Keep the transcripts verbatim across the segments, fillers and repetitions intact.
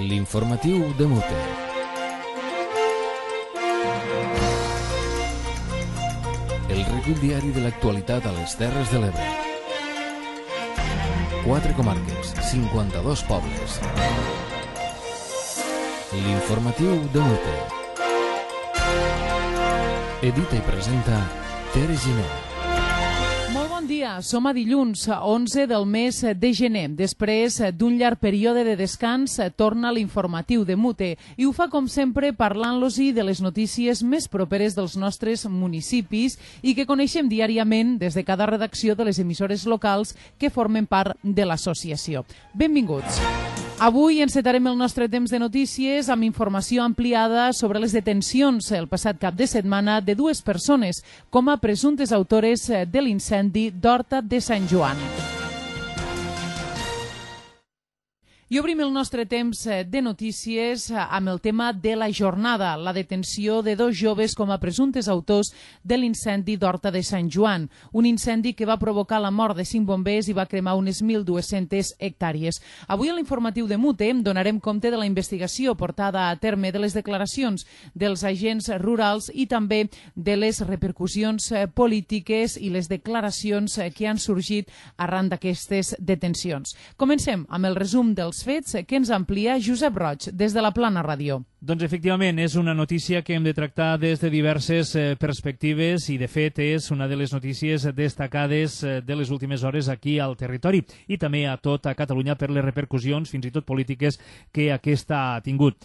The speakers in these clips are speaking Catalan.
L'informatiu de Mute. El recull diari de l'actualitat a les Terres de l'Ebre. Quatre comarques, cinquanta-dos pobles. L'informatiu de Mute. Edita i presenta Tere Giner. Molt bon dia, som a dilluns, onze del mes de gener. Després d'un llarg període de descans, torna l'informatiu de Mute i ho fa com sempre parlant-los-hi de les notícies més properes dels nostres municipis i que coneixem diàriament des de cada redacció de les emissores locals que formen part de l'associació. Benvinguts. Avui encetarem el nostre temps de notícies amb informació ampliada sobre les detencions el passat cap de setmana de dues persones com a presumptes autores de l'incendi d'Horta de Sant Joan. I obrim el nostre temps de notícies amb el tema de la jornada, la detenció de dos joves com a presumptes autors de l'incendi d'Horta de Sant Joan, un incendi que va provocar la mort de cinc bombers i va cremar unes mil dues-centes hectàrees. Avui a l'informatiu de Mute donarem compte de la investigació portada a terme, de les declaracions dels agents rurals i també de les repercussions polítiques i les declaracions que han sorgit arran d'aquestes detencions. Comencem amb el resum dels fets que ens amplia Josep Roig des de la Plana Ràdio. Doncs efectivament és una notícia que hem de tractar des de diverses eh, perspectives i de fet és una de les notícies destacades eh, de les últimes hores aquí al territori i també a tota Catalunya per les repercussions fins i tot polítiques que aquesta ha tingut.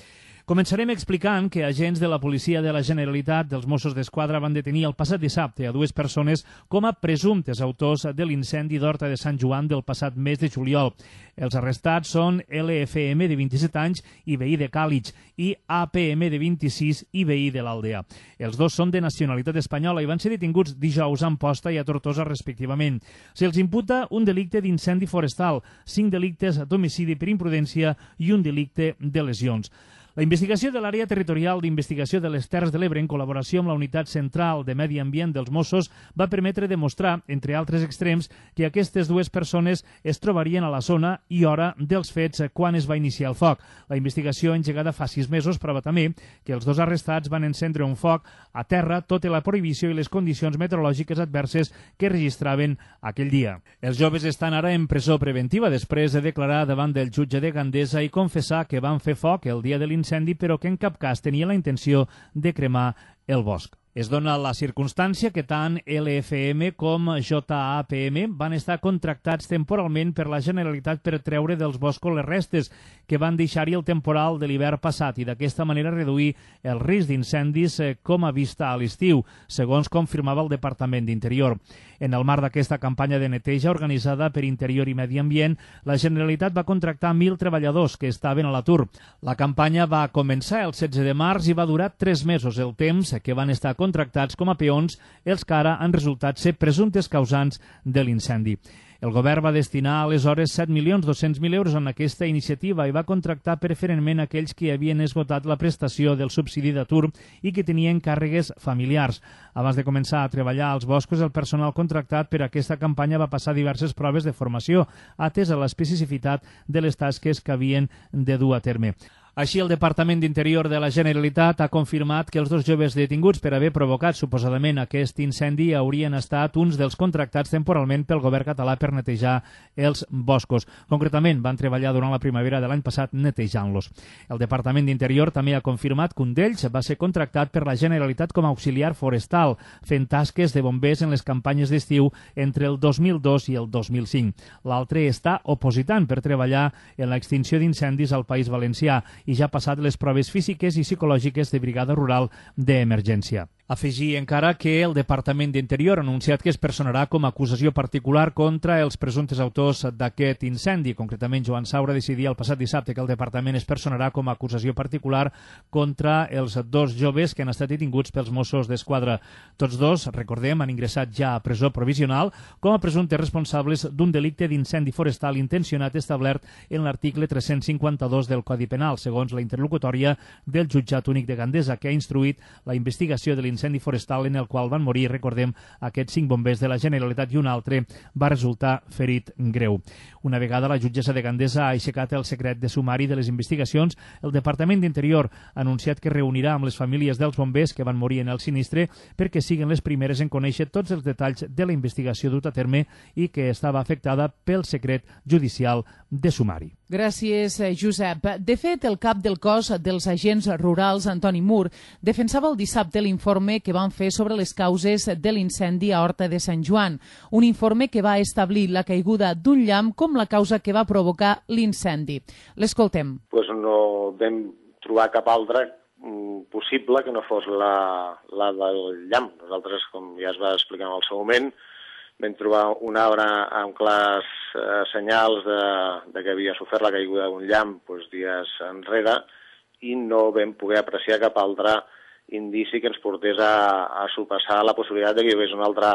Començarem explicant que agents de la Policia de la Generalitat dels Mossos d'Esquadra van detenir el passat dissabte a dues persones com a presumptes autors de l'incendi d'Horta de Sant Joan del passat mes de juliol. Els arrestats són L F M de vint-i-set anys i veí de Càlig i A P M de vint-i-sis i veí de l'Aldea. Els dos són de nacionalitat espanyola i van ser detinguts dijous a Amposta i a Tortosa respectivament. Se'ls imputa un delicte d'incendi forestal, cinc delictes d'homicidi per imprudència i un delicte de lesions. La investigació de l'Àrea Territorial d'Investigació de les Terres de l'Ebre, en col·laboració amb la Unitat Central de Medi Ambient dels Mossos, va permetre demostrar, entre altres extrems, que aquestes dues persones es trobarien a la zona i hora dels fets quan es va iniciar el foc. La investigació engegada fa sis mesos prova també que els dos arrestats van encendre un foc a terra tot i la prohibició i les condicions meteorològiques adverses que registraven aquell dia. Els joves estan ara en presó preventiva després de declarar davant del jutge de Gandesa i confessar que van fer foc el dia de l'incendi incendi, però que en cap cas tenia la intenció de cremar el bosc. Es dona la circumstància que tant L F M com J A P M van estar contractats temporalment per la Generalitat per treure dels boscos les restes que van deixar-hi el temporal de l'hivern passat i d'aquesta manera reduir el risc d'incendis com a vista a l'estiu, segons confirmava el Departament d'Interior. En el marc d'aquesta campanya de neteja organitzada per Interior i Medi Ambient, la Generalitat va contractar mil treballadors que estaven a l'atur. La campanya va començar el setze de març i va durar tres mesos, el temps que van estar contractats com a peons els que ara han resultat ser presumptes causants de l'incendi. El govern va destinar aleshores set milions dos-cents mil euros en aquesta iniciativa i va contractar preferentment aquells que havien esgotat la prestació del subsidi d'atur i que tenien càrregues familiars. Abans de començar a treballar als boscos, el personal contractat per aquesta campanya va passar diverses proves de formació, atès a l'especificitat de les tasques que havien de dur a terme. Així, el Departament d'Interior de la Generalitat ha confirmat que els dos joves detinguts per haver provocat suposadament aquest incendi haurien estat uns dels contractats temporalment pel govern català per netejar els boscos. Concretament, van treballar durant la primavera de l'any passat netejant-los. El Departament d'Interior també ha confirmat que un d'ells va ser contractat per la Generalitat com a auxiliar forestal, fent tasques de bombers en les campanyes d'estiu entre el dos mil dos i el dos mil cinc. L'altre està opositant per treballar en l'extinció d'incendis al País Valencià i ja ha passat les proves físiques i psicològiques de brigada rural d'emergència. Afegir encara que el Departament d'Interior ha anunciat que es personarà com a acusació particular contra els presumptes autors d'aquest incendi. Concretament, Joan Saura decidia el passat dissabte que el Departament es personarà com a acusació particular contra els dos joves que han estat detinguts pels Mossos d'Esquadra. Tots dos, recordem, han ingressat ja a presó provisional com a presumptes responsables d'un delicte d'incendi forestal intencionat establert en l'article tres-cents cinquanta-dos del Codi Penal, segons la interlocutòria del Jutjat Únic de Gandesa, que ha instruït la investigació de l'incendi l'incendi forestal en el qual van morir, recordem, aquests cinc bombers de la Generalitat i un altre va resultar ferit greu. Una vegada la jutgessa de Gandesa ha aixecat el secret de sumari de les investigacions, el Departament d'Interior ha anunciat que reunirà amb les famílies dels bombers que van morir en el sinistre perquè siguin les primeres en conèixer tots els detalls de la investigació dut a terme i que estava afectada pel secret judicial de sumari. Gràcies, Josep. De fet, el cap del cos dels agents rurals, Antoni Mur, defensava el dissabte l'informe que van fer sobre les causes de l'incendi a Horta de Sant Joan, un informe que va establir la caiguda d'un llamp com la causa que va provocar l'incendi. L'escoltem. Pues no vam trobar cap altra possible que no fos la, la del llamp. Nosaltres, com ja es va explicar en el seu moment, vam trobar un arbre amb clars eh, senyals de, de que havia sofert la caiguda d'un llamp doncs, dies enrere i no vam poder apreciar cap altre indici que ens portés a, a sopassar la possibilitat de que hi hagués una altra,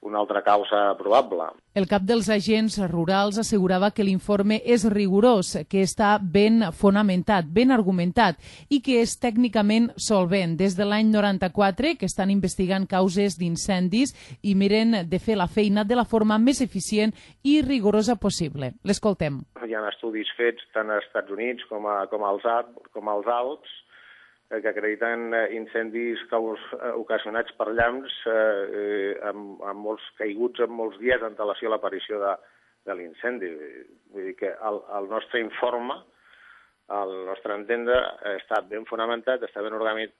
una altra causa probable. El cap dels agents rurals assegurava que l'informe és rigorós, que està ben fonamentat, ben argumentat i que és tècnicament solvent. Des de l'any noranta-quatre que estan investigant causes d'incendis i miren de fer la feina de la forma més eficient i rigorosa possible. L'escoltem. Hi ha estudis fets tant als Estats Units com, a, com, als, com als Alps que acrediten incendis caus, ocasionats per llamps eh, amb, amb molts caiguts en molts dies en relació a l'aparició de, de l'incendi. Vull dir que el, el nostre informe, el nostre entendre, està ben fonamentat, està ben, organit,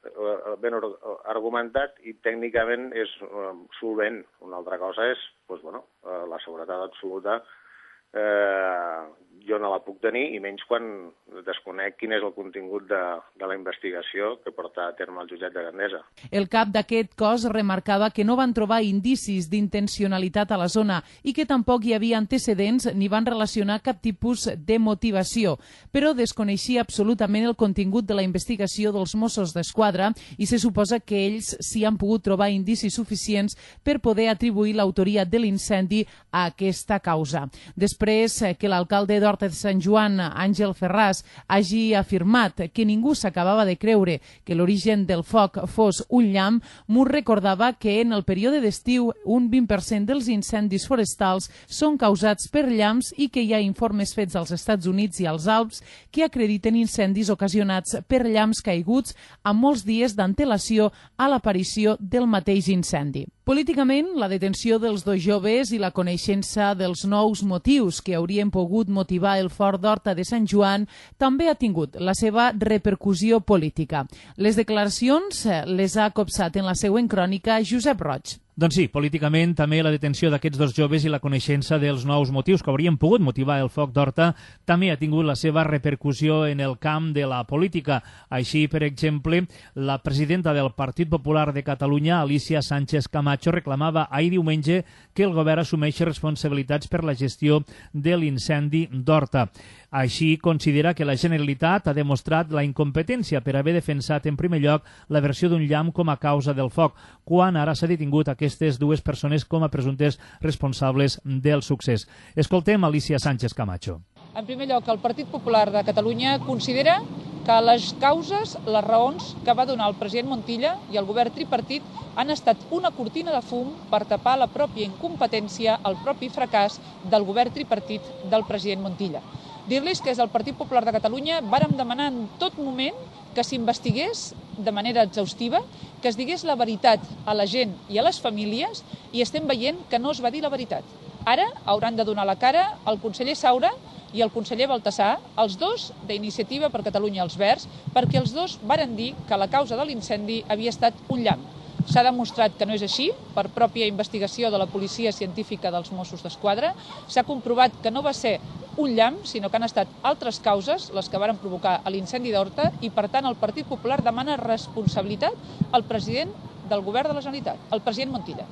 ben argumentat i tècnicament és solvent. Una altra cosa és doncs, bueno, la seguretat absoluta. Eh, jo no la puc tenir, i menys quan desconec quin és el contingut de, de la investigació que porta a terme el jutjat de Gandesa. El cap d'aquest cos remarcava que no van trobar indicis d'intencionalitat a la zona i que tampoc hi havia antecedents ni van relacionar cap tipus de motivació, però desconeixia absolutament el contingut de la investigació dels Mossos d'Esquadra i se suposa que ells s'hi han pogut trobar indicis suficients per poder atribuir l'autoria de l'incendi a aquesta causa. Després que l'alcalde d'Horta de Sant Joan, Àngel Ferràs, hagi afirmat que ningú s'acabava de creure que l'origen del foc fos un llamp, Mur recordava que en el període d'estiu un vint per cent dels incendis forestals són causats per llamps i que hi ha informes fets als Estats Units i als Alps que acrediten incendis ocasionats per llamps caiguts amb molts dies d'antelació a l'aparició del mateix incendi. Políticament, la detenció dels dos joves i la coneixença dels nous motius que haurien pogut motivar el Fort d'Horta de Sant Joan també ha tingut la seva repercussió política. Les declaracions les ha copsat en la següent crònica Josep Roig. Doncs sí, políticament també la detenció d'aquests dos joves i la coneixença dels nous motius que haurien pogut motivar el foc d'Horta també ha tingut la seva repercussió en el camp de la política. Així, per exemple, la presidenta del Partit Popular de Catalunya, Alicia Sánchez Camacho, reclamava ahir diumenge que el govern assumeixi responsabilitats per la gestió de l'incendi d'Horta. Així, considera que la Generalitat ha demostrat la incompetència per haver defensat en primer lloc la versió d'un llamp com a causa del foc, quan ara s'ha detingut aquestes dues persones com a presumptes responsables del succés. Escoltem Alicia Sánchez Camacho. En primer lloc, el Partit Popular de Catalunya considera que les causes, les raons que va donar el president Montilla i el govern tripartit han estat una cortina de fum per tapar la pròpia incompetència, el propi fracàs del govern tripartit del president Montilla. Dir-los que des del Partit Popular de Catalunya vàrem demanar en tot moment que s'investigués de manera exhaustiva, que es digués la veritat a la gent i a les famílies, i estem veient que no es va dir la veritat. Ara hauran de donar la cara el conseller Saura i el conseller Baltasar, els dos d'Iniciativa per Catalunya els Verds, perquè els dos varen dir que la causa de l'incendi havia estat un llamp. S'ha demostrat que no és així, per pròpia investigació de la Policia Científica dels Mossos d'Esquadra. S'ha comprovat que no va ser un llamp, sinó que han estat altres causes les que varen provocar l'incendi d'Horta i, per tant, el Partit Popular demana responsabilitat al president del govern de la Generalitat, el president Montilla.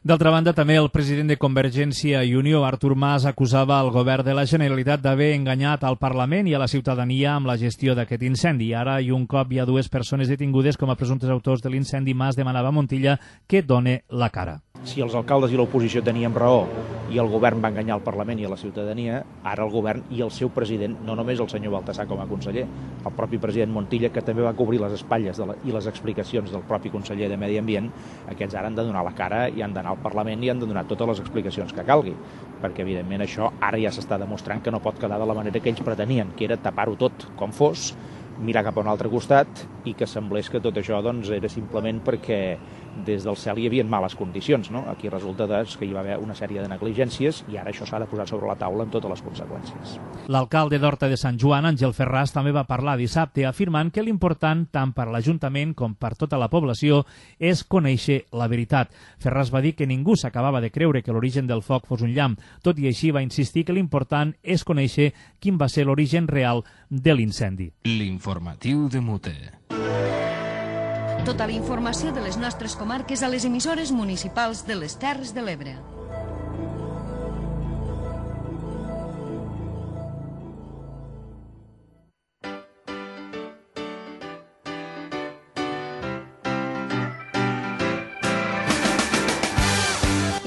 D'altra banda, també el president de Convergència i Unió, Artur Mas, acusava el govern de la Generalitat d'haver enganyat al Parlament i a la ciutadania amb la gestió d'aquest incendi. Ara, i un cop hi ha dues persones detingudes com a presumptes autors de l'incendi, Mas demanava a Montilla que done la cara. Si els alcaldes i l'oposició teníem raó i el govern va enganyar el Parlament i a la ciutadania, ara el govern i el seu president, no només el senyor Baltasar com a conseller, el propi president Montilla, que també va cobrir les espatlles de la, i les explicacions del propi conseller de Medi Ambient, aquests ara han de donar la cara i han d'anar al Parlament i han de donar totes les explicacions que calgui, perquè evidentment això ara ja s'està demostrant que no pot quedar de la manera que ells pretenien, que era tapar-ho tot com fos, mirar cap a un altre costat i que semblés que tot això doncs, era simplement perquè des del cel hi havia males condicions. No? Aquí resulta doncs, que hi va haver una sèrie de negligències i ara això s'ha de posar sobre la taula amb totes les conseqüències. L'alcalde d'Horta de Sant Joan, Àngel Ferràs, també va parlar dissabte afirmant que l'important, tant per a l'Ajuntament com per tota la població, és conèixer la veritat. Ferràs va dir que ningú s'acabava de creure que l'origen del foc fos un llamp. Tot i així va insistir que l'important és conèixer quin va ser l'origen real de l'incendi. L'informatiu de Mute. Tota la informació de les nostres comarques a les emissores municipals de les Terres de l'Ebre.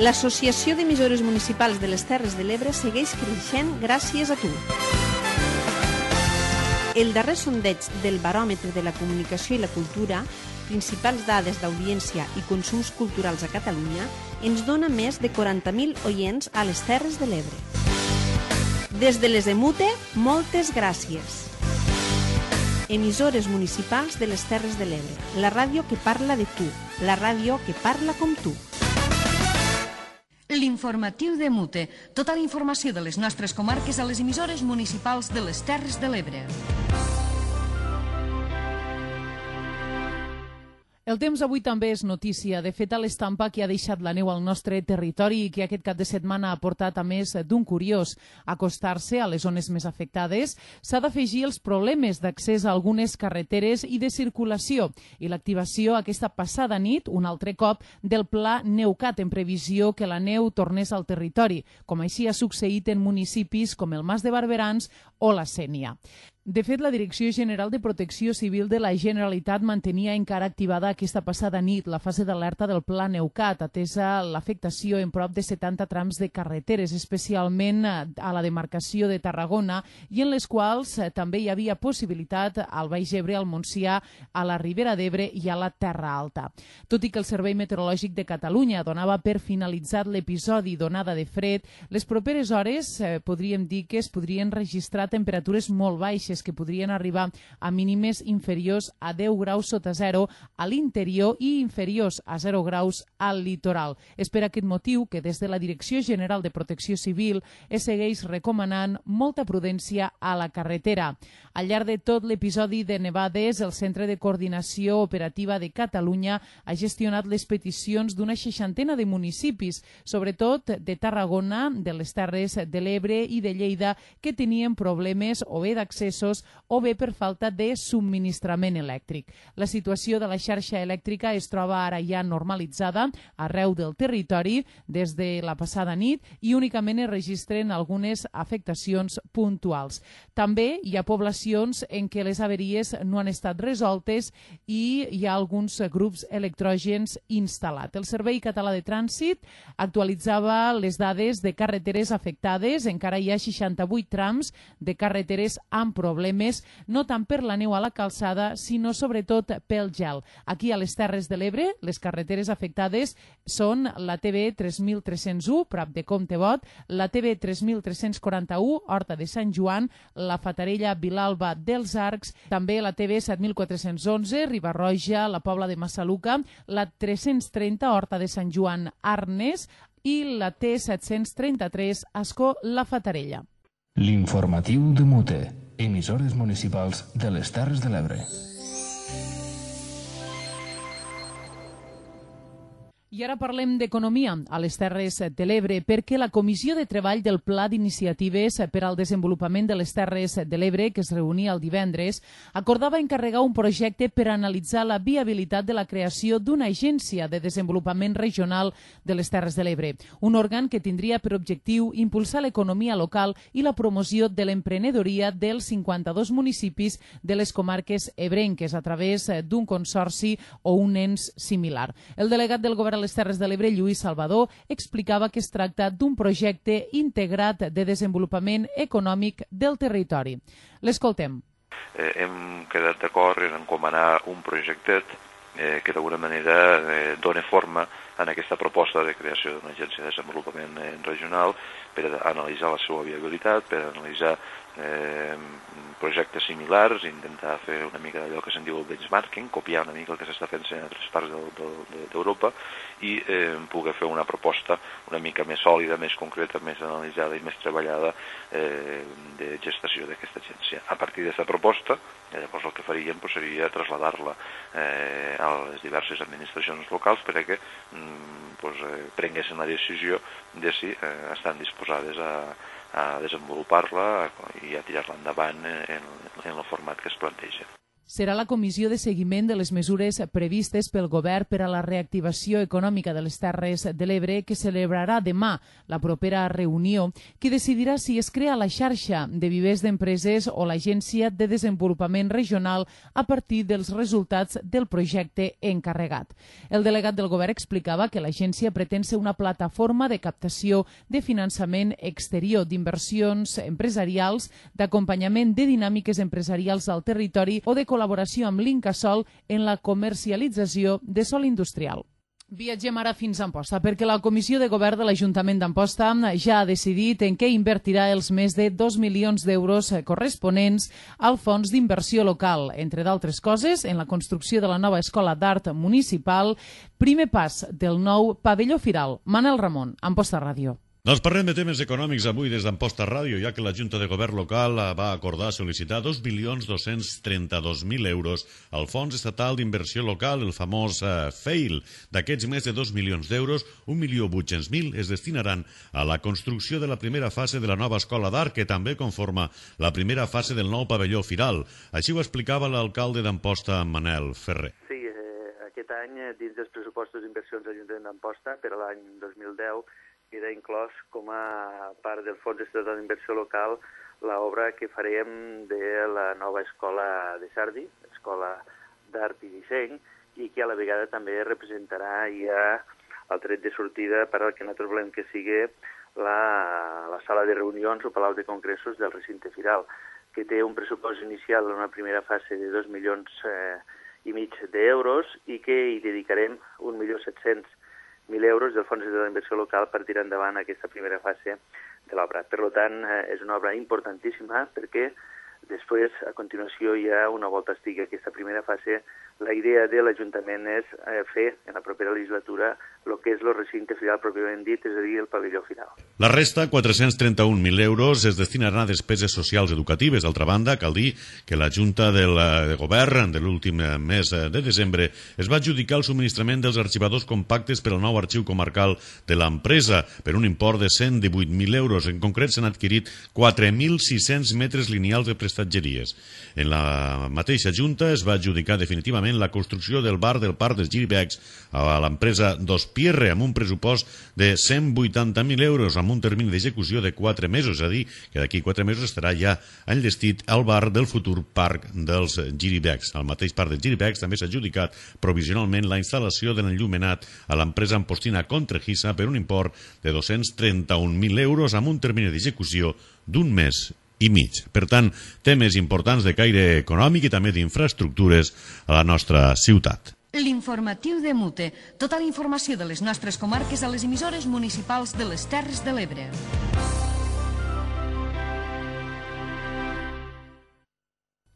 L'Associació d'Emissores Municipals de les Terres de l'Ebre segueix creixent gràcies a tu. El darrer sondeig del Baròmetre de la Comunicació i la Cultura, principals dades d'audiència i consums culturals a Catalunya, ens dona més de quaranta mil oients a les Terres de l'Ebre. Des de les de Mute, moltes gràcies. Emissores municipals de les Terres de l'Ebre, la ràdio que parla de tu, la ràdio que parla com tu. L'informatiu de Mute. Tota la informació de les nostres comarques a les emissores municipals de les Terres de l'Ebre. El temps avui també és notícia. De fet, a l'estampa que ha deixat la neu al nostre territori i que aquest cap de setmana ha portat a més d'un curiós acostar-se a les zones més afectades, s'ha d'afegir els problemes d'accés a algunes carreteres i de circulació i l'activació aquesta passada nit, un altre cop, del pla Neucat en previsió que la neu tornés al territori, com així ha succeït en municipis com el Mas de Barberans o la Sénia. De fet, la Direcció General de Protecció Civil de la Generalitat mantenia encara activada aquesta passada nit la fase d'alerta del Pla Neucat, atesa l'afectació en prop de setanta trams de carreteres, especialment a la demarcació de Tarragona, i en les quals també hi havia possibilitat al Baix Ebre, al Montsià, a la Ribera d'Ebre i a la Terra Alta. Tot i que el Servei Meteorològic de Catalunya donava per finalitzat l'episodi d'onada de fred, les properes hores eh, podríem dir que es podrien registrar temperatures molt baixes, que podrien arribar a mínimes inferiors a deu graus sota zero a l'interior i inferiors a zero graus al litoral. És per aquest motiu que des de la Direcció General de Protecció Civil es segueix recomanant molta prudència a la carretera. Al llarg de tot l'episodi de nevades, el Centre de Coordinació Operativa de Catalunya ha gestionat les peticions d'una seixantena de municipis, sobretot de Tarragona, de les Terres de l'Ebre i de Lleida, que tenien problemes o bé d'accessos o bé per falta de subministrament elèctric. La situació de la xarxa elèctrica es troba ara ja normalitzada arreu del territori des de la passada nit i únicament es registren algunes afectacions puntuals. També hi ha poblacions en què les averies no han estat resoltes i hi ha alguns grups electrògens instal·lats. El Servei Català de Trànsit actualitzava les dades de carreteres afectades. Encara hi ha seixanta-vuit trams de carreteres amb problemes, no tant per la neu a la calçada, sinó sobretot pel gel. Aquí a les Terres de l'Ebre, les carreteres afectades són la T B tres mil tres-cents u, prop de Comtebot, la T B tres mil tres-cents quaranta-u, Horta de Sant Joan, la Fatarella Vilalba dels Arcs, també la T B set mil quatre-cents onze, Riba-roja, la Pobla de Massaluca, la tres-cents trenta, Horta de Sant Joan, Arnes, i la T set-cents trenta-tres, Ascó, la Fatarella. L'informatiu de Mute. Emissores municipals de les Terres de l'Ebre. I ara parlem d'economia a les Terres de l'Ebre, perquè la Comissió de Treball del Pla d'Iniciatives per al Desenvolupament de les Terres de l'Ebre, que es reunia el divendres, acordava encarregar un projecte per analitzar la viabilitat de la creació d'una agència de desenvolupament regional de les Terres de l'Ebre, un òrgan que tindria per objectiu impulsar l'economia local i la promoció de l'emprenedoria dels cinquanta-dos municipis de les comarques ebrenques a través d'un consorci o un ens similar. El delegat del govern les Terres de l'Ebre, Lluís Salvador, explicava que es tracta d'un projecte integrat de desenvolupament econòmic del territori. L'escoltem. Eh, hem quedat d'acord en encomanar un projectet eh, que d'alguna manera eh, dona forma en aquesta proposta de creació d'una agència de desenvolupament eh, regional per analitzar la seva viabilitat, per analitzar eh, projectes similars, intentar fer una mica d'allò que se'n diu el benchmarking, copiar una mica el que s'està fent en altres parts d'Europa i eh, poder fer una proposta una mica més sòlida, més concreta, més analitzada i més treballada eh, de gestació d'aquesta agència. A partir d'aquesta proposta, llavors el que faríem pues, seria traslladar-la eh, a les diverses administracions locals perquè mm, pues, eh, prenguessin la decisió de si eh, estan disposades a a desenvolupar-la i a tirar-la endavant en, en el format que es planteja. Serà la comissió de seguiment de les mesures previstes pel govern per a la reactivació econòmica de les Terres de l'Ebre que celebrarà demà la propera reunió, qui decidirà si es crea la xarxa de vivers d'empreses o l'Agència de Desenvolupament Regional a partir dels resultats del projecte encarregat. El delegat del govern explicava que l'agència pretén ser una plataforma de captació de finançament exterior, d'inversions empresarials, d'acompanyament de dinàmiques empresarials al territori o de col·laboració amb l'Incasòl en la comercialització de sòl industrial. Viatgem ara fins a Amposta, perquè la Comissió de Govern de l'Ajuntament d'Amposta ja ha decidit en què invertirà els més de dos milions d'euros corresponents al Fons d'Inversió Local, entre d'altres coses, en la construcció de la nova Escola d'Art Municipal, primer pas del nou pavelló firal. Manel Ramon, Amposta Ràdio. Doncs parlem de temes econòmics avui des d'Amposta Ràdio, ja que la Junta de Govern local va acordar sol·licitar dos milions dos-cents trenta-dos mil euros al Fons Estatal d'Inversió Local, el famós eh, F E I L. D'aquests més de dos milions d'euros, un milió vuit-cents mil es destinaran a la construcció de la primera fase de la nova Escola d'Art, que també conforma la primera fase del nou pavelló firal. Així ho explicava l'alcalde d'Amposta, Manel Ferrer. Sí, eh, aquest any, dins dels pressupostos d'inversions de l'Ajuntament d'Amposta, per a l'any dos mil deu, queda inclòs com a part del Fons Estatal d'Inversió Local l'obra que farem de la nova escola de Sardi, Escola d'Art i Disseny, i que a la vegada també representarà ja el tret de sortida per al que nosaltres volem que sigui la, la sala de reunions o palau de congressos del recinte firal, que té un pressupost inicial en una primera fase de dos milions eh, i mig d'euros i que hi dedicarem un milió set-cents mil euros del Fons d'Inversió Local per tirar endavant aquesta primera fase de l'obra. Per tant, és una obra importantíssima perquè després, a continuació, ja una volta estigui aquesta primera fase, la idea de l'Ajuntament és fer en la propera legislatura el que és el recinte firal pròpiament dit, és a dir, el pavelló final. La resta, quatre-cents trenta-un mil euros, es destinaran a despeses socials educatives. D'altra banda, cal dir que la Junta del Govern de l'últim mes de desembre es va adjudicar el subministrament dels arxivadors compactes per al nou arxiu comarcal de l'empresa per un import de cent divuit mil euros. En concret, s'han adquirit quatre mil sis-cents metres lineals de prestatgeries. En la mateixa Junta es va adjudicar definitivament la construcció del bar del Parc dels Giribecs a l'empresa Dos Pierre amb un pressupost de cent vuitanta mil euros amb un termini d'execució de quatre mesos, és a dir, que d'aquí quatre mesos estarà ja enllestit al bar del futur Parc dels Giribecs. Al mateix Parc dels Giribecs també s'ha adjudicat provisionalment la instal·lació de l'enllumenat a l'empresa ampostina Contrejisa per un import de dos-cents trenta-un mil euros amb un termini d'execució d'un mes i mig. Per tant, temes importants de caire econòmic i també d'infraestructures a la nostra ciutat. L'informatiu de Mute. Tota la informació de les nostres comarques a les emissores municipals de les Terres de l'Ebre.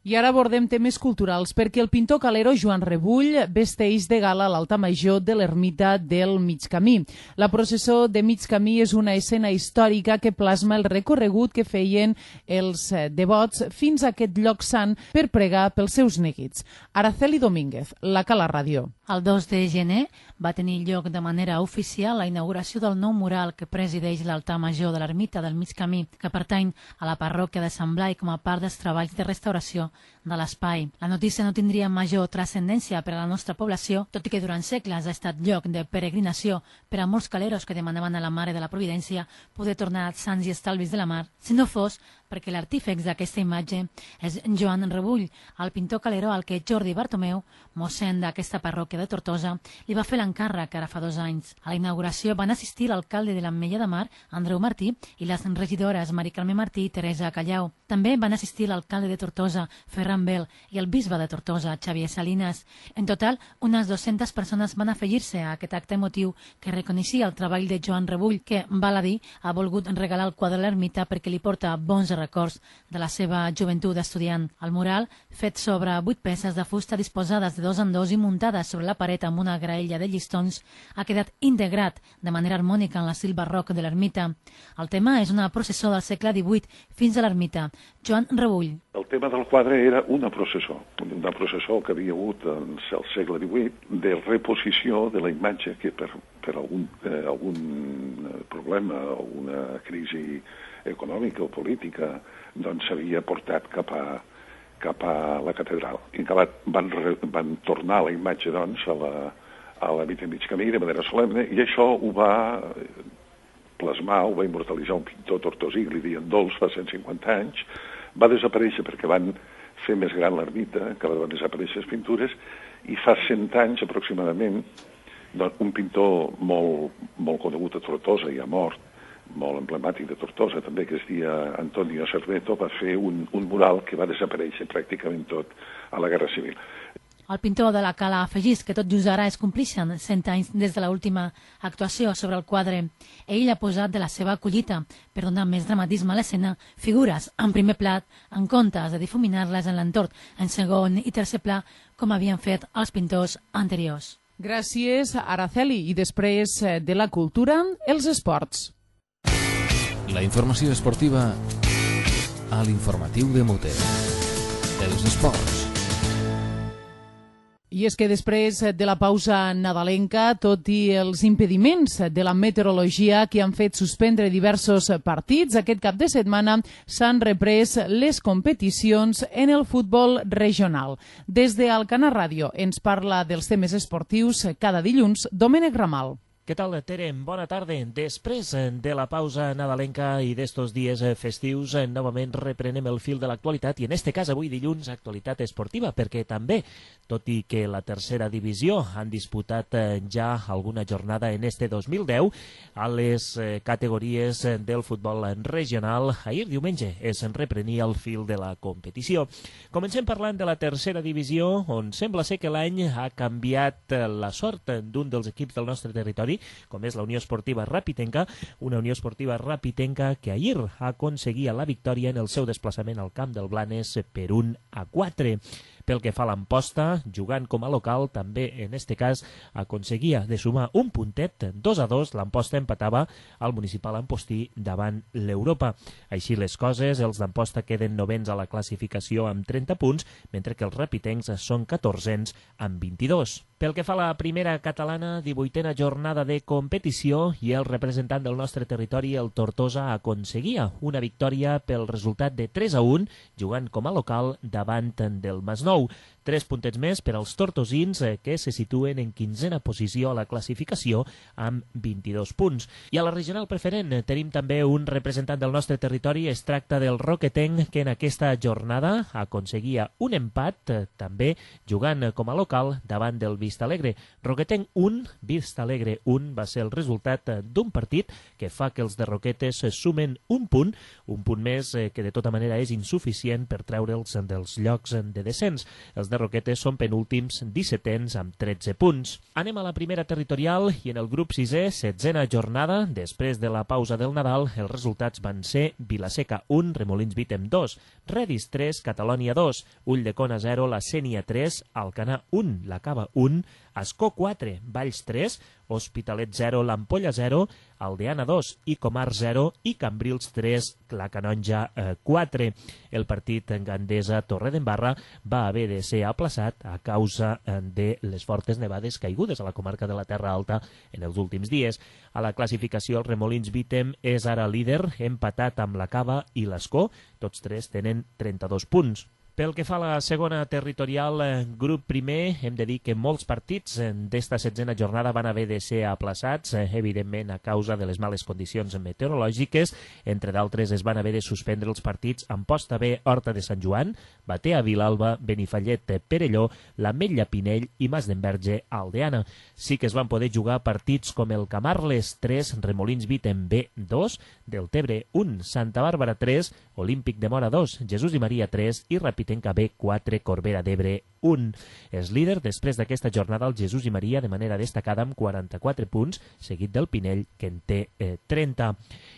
I ara abordem temes culturals, perquè el pintor calero Joan Rebull vesteix de gala l'altar major de l'ermita del Mig Camí. La processó de Mig Camí és una escena històrica que plasma el recorregut que feien els devots fins a aquest lloc sant per pregar pels seus neguits. Araceli Domínguez, la Cala Ràdio. El dos de gener va tenir lloc de manera oficial la inauguració del nou mural que presideix l'altar major de l'ermita del Mig Camí, que pertany a la parròquia de Sant Blai com a part dels treballs de restauració de l'espai. La notícia no tindria major transcendència per a la nostra població, tot i que durant segles ha estat lloc de peregrinació per a molts caleros que demanaven a la Mare de la Providència poder tornar sants i estalvis de la mar, si no fos perquè l'artífex d'aquesta imatge és Joan Rebull, el pintor Caleró al que Jordi Bartomeu, mossèn d'aquesta parròquia de Tortosa, li va fer l'encàrrec ara fa dos anys. A la inauguració van assistir l'alcalde de l'Ametlla de Mar, Andreu Martí, i les regidores Mari Carme Martí i Teresa Callau. També van assistir l'alcalde de Tortosa, Ferran Bel, i el bisbe de Tortosa, Xavier Salinas. En total, unes dues-centes persones van afegir-se a aquest acte emotiu que reconeixia el treball de Joan Rebull, que, val a dir, ha volgut regalar el quadre a l'ermita perquè li porta bons records de la seva joventut estudiant. El mural, fet sobre vuit peces de fusta disposades de dos en dos i muntades sobre la paret amb una graella de llistons, ha quedat integrat de manera harmònica en l'estil barroc de l'ermita. El tema és una processó del segle divuit fins a l'ermita. Joan Rebull. El tema del quadre era una processó, una processó que havia hagut en el segle divuit de reposició de la imatge que per, per algun, eh, algun problema, alguna crisi econòmica o política, doncs s'havia portat cap a, cap a la catedral. I van, van tornar la imatge doncs, a la, a la Vita Mig Camí de manera solemne, i això ho va plasmar, ho va immortalitzar un pintor tortosí, li deien Dols, fa cent cinquanta anys. Va desaparèixer perquè van fer més gran l'ermita, que van desaparèixer les pintures, i fa cent anys aproximadament, doncs, un pintor molt, molt conegut a Tortosa, ja mort, molt emblemàtic de Tortosa també, que es dia Antonio Cerveto, va fer un, un mural que va desaparèixer pràcticament tot a la Guerra Civil. El pintor de la Cala afegís que tot just ara es complixen cent anys des de l'última actuació sobre el quadre. Ell ha posat de la seva collita per donar més dramatisme a l'escena figures en primer plat en comptes de difuminar-les en l'entorn en segon i tercer pla com havien fet els pintors anteriors. Gràcies, Araceli. I després de la cultura, els esports. La informació esportiva a l'informatiu de Mute. Els esports. I és que després de la pausa nadalenca, tot i els impediments de la meteorologia que han fet suspendre diversos partits, aquest cap de setmana s'han reprès les competicions en el futbol regional. Des de Alcanar Ràdio ens parla dels temes esportius cada dilluns Domènec Ramal. Què tal, Tere? Bona tarda. Després de la pausa nadalenca i d'estos dies festius, novament reprenem el fil de l'actualitat i en este cas avui dilluns actualitat esportiva, perquè també, tot i que la tercera divisió han disputat ja alguna jornada en este dos mil deu, a les categories del futbol regional, ahir diumenge es reprenia el fil de la competició. Comencem parlant de la tercera divisió, on sembla ser que l'any ha canviat la sort d'un dels equips del nostre territori, com és la Unió Esportiva Rapitenca, una Unió Esportiva Rapitenca que ahir aconseguia la victòria en el seu desplaçament al camp del Blanes per un a quatre. Pel que fa a l'Amposta, jugant com a local, també en este cas aconseguia de sumar un puntet, dos a dos, l'Amposta empatava al municipal ampostí davant l'Europa. Així les coses, els d'Amposta queden novens a la classificació amb trenta punts, mentre que els rapitencs són catorzens amb vint-i-dos. Pel que fa a la primera catalana, divuitena jornada de competició i el representant del nostre territori, el Tortosa, aconseguia una victòria pel resultat de tres a un, jugant com a local davant del Masnou. Tres puntets més per als tortosins que se situen en quinzena posició a la classificació amb vint-i-dos punts. I a la regional preferent tenim també un representant del nostre territori, es tracta del Roquetenc, que en aquesta jornada aconseguia un empat, també jugant com a local davant del Vistalegre. Roquetenc un, Vistalegre un va ser el resultat d'un partit que fa que els de Roquetes sumen un punt, un punt més que de tota manera és insuficient per treure'ls dels llocs de descens. Els de Roquetes són penúltims, dissetens amb tretze punts. Anem a la primera territorial i en el grup sisè, setzena jornada, després de la pausa del Nadal, els resultats van ser Vilaseca un, Remolins Vítem dos, Redis tres, Catalònia dos, Ulldecona zero, La Sénia tres, Alcanar un, La Cava un, Ascó quatre, Valls tres, Hospitalet zero, l'Ampolla zero, Aldeana dos i Comar zero i Cambrils tres, la Canonja quatre. El partit en Gandesa Torredembarra va haver de ser aplaçat a causa de les fortes nevades caigudes a la comarca de la Terra Alta en els últims dies. A la classificació, el Remolins Vítem és ara líder, empatat amb la Cava i l'Ascó. Tots tres tenen trenta-dos punts. Pel que fa a la segona territorial, grup primer, hem de dir que molts partits d'esta setzena jornada van haver de ser aplaçats, evidentment a causa de les males condicions meteorològiques. Entre d'altres, es van haver de suspendre els partits Amposta B, Horta de Sant Joan, Batea, Vilalba, Benifallet, Perelló, l'Ametlla, Pinell i Mas d'Enverge, Aldeana. Sí que es van poder jugar partits com el Camarles tres, Remolins Viten B dos, Deltebre un, Santa Bàrbara tres, Olímpic de Mora dos, Jesús i Maria tres i Rapitenca B quatre, Corbera d'Ebre un. És líder després d'aquesta jornada el Jesús i Maria de manera destacada amb quaranta-quatre punts, seguit del Pinell, que en té eh, trenta.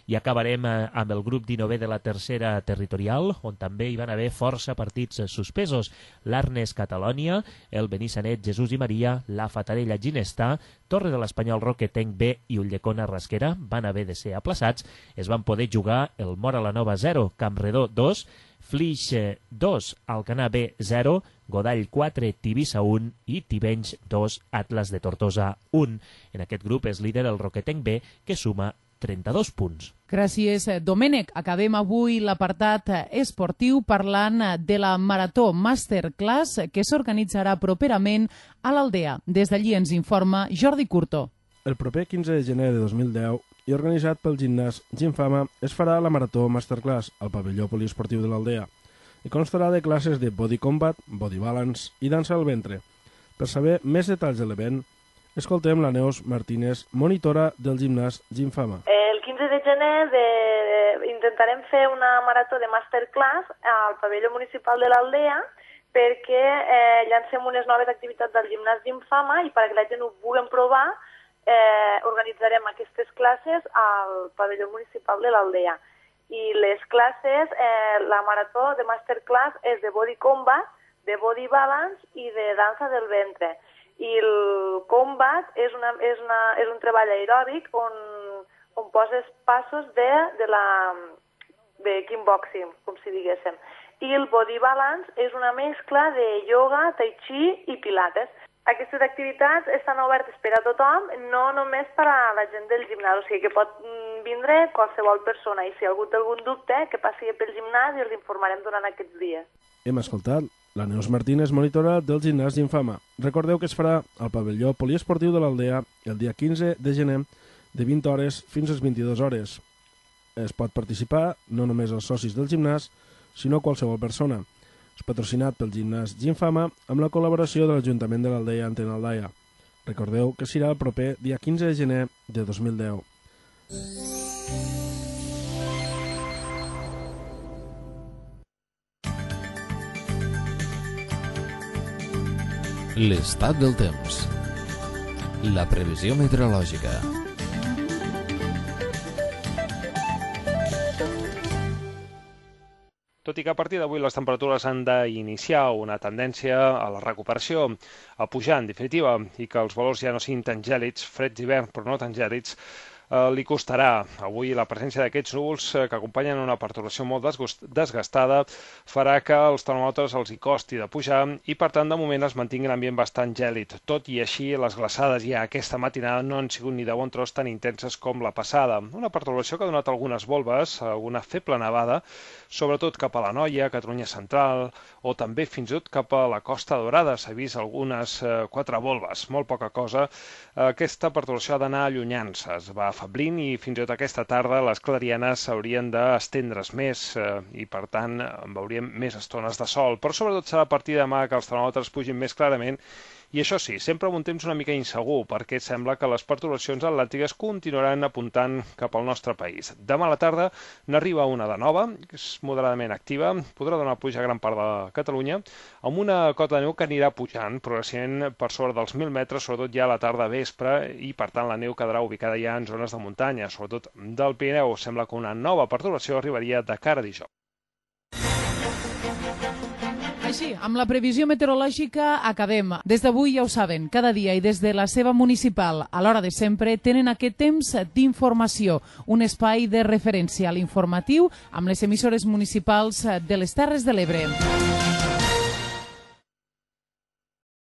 I acabarem eh, amb el grup dinovè de la tercera territorial, on també hi van haver força partits suspesos. L'Arnes Catalònia, el Benissanet Jesús i Maria, la Fatarella Ginestà, Torre de l'Espanyol Roquetenc B i Ulldecona Rasquera van haver de ser aplaçats. Es van poder jugar el Mora la Nova zero, Campredó dos, Flix dos, Alcanar B zero, Godall quatre, Tivissa un i Tivenys dos, Atlas de Tortosa un. En aquest grup és líder el Roquetenc B, que suma trenta-dos punts. Gràcies, Domènec. Acabem avui l'apartat esportiu parlant de la Marató Masterclass que s'organitzarà properament a l'Aldea. Des d'allí ens informa Jordi Curto. El proper quinze de gener de dos mil deu i organitzat pel gimnàs Gimfama es farà la Marató Masterclass al pavelló poliesportiu de l'Aldea i constarà de classes de body combat, body balance i dansa al ventre. Per saber més detalls de l'event, escoltem la Neus Martínez, monitora del gimnàs Gimfama. El quinze de gener de... intentarem fer una marató de masterclass al pavelló municipal de l'Aldea perquè eh, llancem unes noves activitats del gimnàs Gimfama i perquè la gent ho puguem provar eh, organitzarem aquestes classes al pavelló municipal de l'Aldea. I les classes, eh, la marató de masterclass és de body combat, de body balance i de dansa del ventre. I el combat és, una, és, una, és un treball aeròbic on, on poses passos de, de, la, de kickboxing, com si diguéssim. I el body balance és una mescla de ioga, tai chi i pilates. Aquestes activitats estan obertes per a tothom, no només per a la gent del gimnàs, o sigui que pot vindre qualsevol persona i si algú té algun dubte que passi pel gimnàs i els informarem durant aquests dies. Hem escoltat la Neus Martínez, monitora del gimnàs Gimfama. Recordeu que es farà al pavelló poliesportiu de l'Aldea el dia quinze de gener de vint hores fins a les vint-i-dues hores. Es pot participar no només els socis del gimnàs, sinó qualsevol persona. És patrocinat pel gimnàs Gimfama amb la col·laboració de l'Ajuntament de l'Aldea Antena Aldaia. Recordeu que serà el proper dia quinze de gener de dos mil deu. L'estat del temps. La previsió meteorològica. Tot i que a partir d'avui les temperatures han d'iniciar una tendència a la recuperació, a pujar en definitiva, i que els valors ja no siguin tan gèlids, freds d'hivern però no tan gèlids, eh, li costarà. Avui la presència d'aquests núvols eh, que acompanyen una perturbació molt desgastada farà que els termòmetres els hi costi de pujar i per tant de moment es mantingui l'ambient bastant gèlid. Tot i així les glaçades ja aquesta matinada no han sigut ni de bon tros tan intenses com la passada. Una perturbació que ha donat algunes volves, alguna feble nevada, sobretot cap a l'Anoia, Catalunya Central, o també fins i tot cap a la Costa Dorada. S'ha vist algunes eh, quatre volves, molt poca cosa. Aquesta perturbació ha d'anar allunyant-se, es va afablint i fins i tot aquesta tarda les clarianes s'haurien d'estendre's més eh, i per tant veuríem més estones de sol. Però sobretot serà a partir de demà que els termòmetres pugin més clarament. I això sí, sempre amb un temps una mica insegur, perquè sembla que les perturbacions atlàntiques continuaran apuntant cap al nostre país. Demà a la tarda n'arriba una de nova, que és moderadament activa, podrà donar pluja a gran part de Catalunya, amb una cota de neu que anirà pujant progressivament per sobre dels mil metres, sobretot ja a la tarda vespre, i per tant la neu quedarà ubicada ja en zones de muntanya, sobretot del Pirineu. Sembla que una nova perturbació arribaria de cara a dijous. Així, amb la previsió meteorològica acabem. Des d'avui ja ho saben, cada dia i des de la seva municipal, a l'hora de sempre, tenen aquest temps d'informació, un espai de referència a l'informatiu amb les emissores municipals de les Terres de l'Ebre.